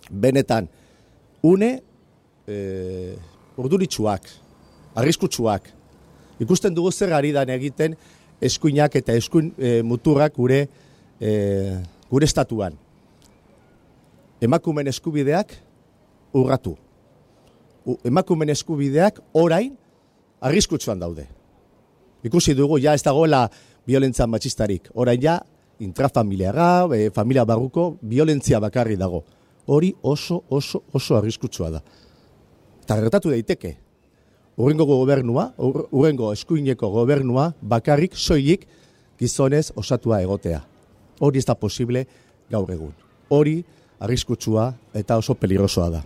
benetan, une urduritsuak, arriskutsuak. Ikusten dugu zer ari dan egiten eskuinak eta eskuin muturrak gure estatuan. Emakumen eskubideak urratu. Emakumen eskubideak orain arriskutsuan daude. Ikusi dugu, ja ez dagoela violentzia matxistarik. Orain ja, intrafamiliara, familia barruko, violentzia bakarri dago. Hori oso arriskutsua da. Eta gertatu daiteke. Urrengo eskuineko gobernua, bakarrik, soilik, gizonez osatua egotea. Hori ez da posible gaur egun. Hori arriskutsua eta oso peligrosoa da.